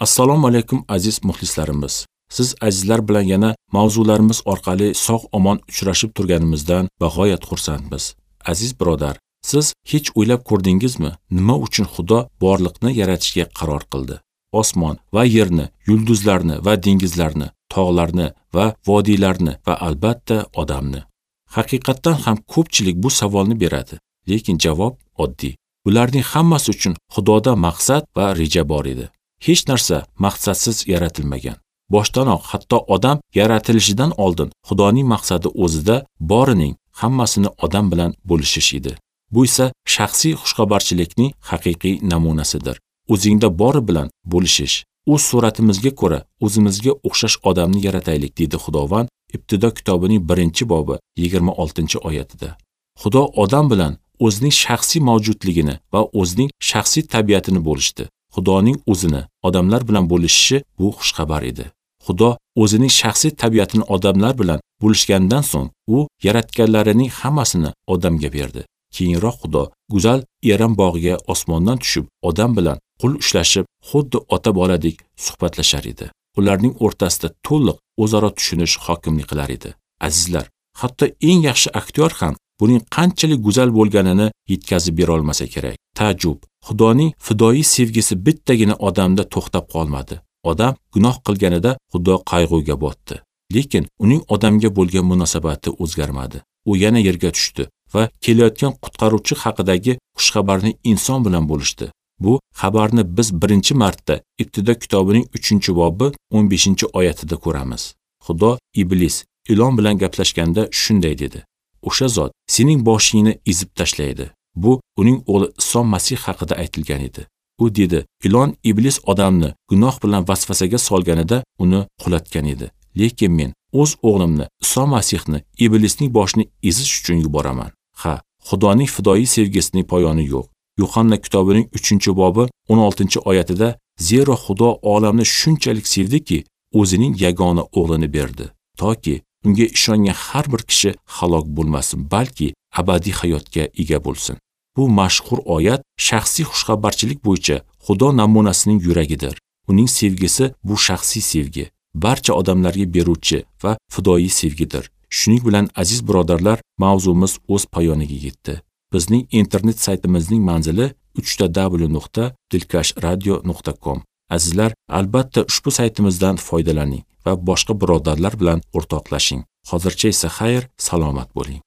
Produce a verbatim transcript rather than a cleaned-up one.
Assalomu alaykum aziz muxlislarimiz. Siz azizlar bilan yana mavzularimiz orqali sog'-omon uchrashib turganimizdan bag'oyat xursandmiz. Aziz birodar, siz hech o'ylab ko'rdingizmi, nima uchun Xudo borliqni yaratishga qaror qildi? Osmon va yerni, yulduzlarni va dengizlarni, tog'larni va vodiylarni va albatta odamni. Haqiqatdan ham ko'pchilik bu savolni beradi, lekin javob oddiy. Bularning hammasi uchun Xudoda maqsad va reja bor edi. Hech narsa maqsadsiz yaratilmagan. Boshdanoq hatto odam yaratilishidan oldin Xudoning maqsadi o'zida borining hammasini odam bilan bo'lishish edi. Bu esa shaxsiy xushxabarchilikning haqiqiy namunasidir. O'zingda bori bilan bo'lishish. O'z suratimizga ko'ra o'zimizga o'xshash odamni yarataylik, dedi Xudovand Ibtido kitobining birinchi bobi yigirma oltinchi oyatida. Xudo odam bilan o'zining shaxsiy mavjudligini va o'zining shaxsiy tabiatini bo'lishdi. Xudoning o'zini odamlar bilan bo'lishishi bu xushxabar edi. Xudo o'zining shaxsiy tabiatini odamlar bilan bo'lishgandan so'ng u yaratganlarining hammasini odamga berdi. Keyinroq Xudo go'zal Eram bog'iga osmondan tushib odam bilan qo'l ushlashib, xuddi ota-boladek suhbatlashar edi. Ularning o'rtasida to'liq o'zaro tushunish hokimlik qilar edi. Azizlar, hatto eng yaxshi aktyor ham buning qanchalik go'zal bo'lganini yetkazib bera olmasa kerak. Ta'jub, Xudoning fidoyi sevgisi bittagina odamda to'xtab qolmadi. Odam gunoh qilganida Xudo qayg'uga botdi. Lekin uning odamga bo'lgan munosabati o'zgarmadi. U yana yerga tushdi va kelayotgan qutqaruvchi haqidagi xushxabarni inson bilan bo'lishdi. Bu xabarni biz birinchi marta Ibtido kitobining uchinchi bobi o'n beshinchi oyatida ko'ramiz. Xudo iblis ilon bilan gaplashganda shunday dedi: O'sha zot sening boshingni ezib tashlaydi. Bu uning o'g'li Iso Masih haqida aytilgan edi. U dedi, ilon iblis odamni gunoh bilan vasvasaga solganida uni qulatgan edi. Lekin men o'z o'g'limni Iso Masihni iblisning boshini ezish uchun yuboraman. Ha, Xudoning fidoyi sevgisining poyoni yo'q. Yuhanna kitobining uchinchi bobi o'n oltinchi oyatida zero Xudo olamni shunchalik sevdiki, o'zining yagona o'g'lini berdi, toki unga ishongan har bir kishi halok bo'lmasin, balki abadiy hayotga ega bo'lsin. Bu mashhur oyat shaxsiy xushxabarchilik bo'yicha Xudo namunasining yuragidir. Uning sevgisi bu shaxsiy sevgi, barcha odamlarga beruvchi va fidoyi sevgidir. Shuning bilan aziz birodarlar, mavzumiz o'z poyoniga yetdi. Bizning internet saytimizning manzili uch ta w nuqta dilkash radio nuqta com. Azizlar, albatta ushbu saytimizdan foydalaning va boshqa birodarlar bilan o'rtoqlashing. Hozircha esa xayr, salomat bo'ling.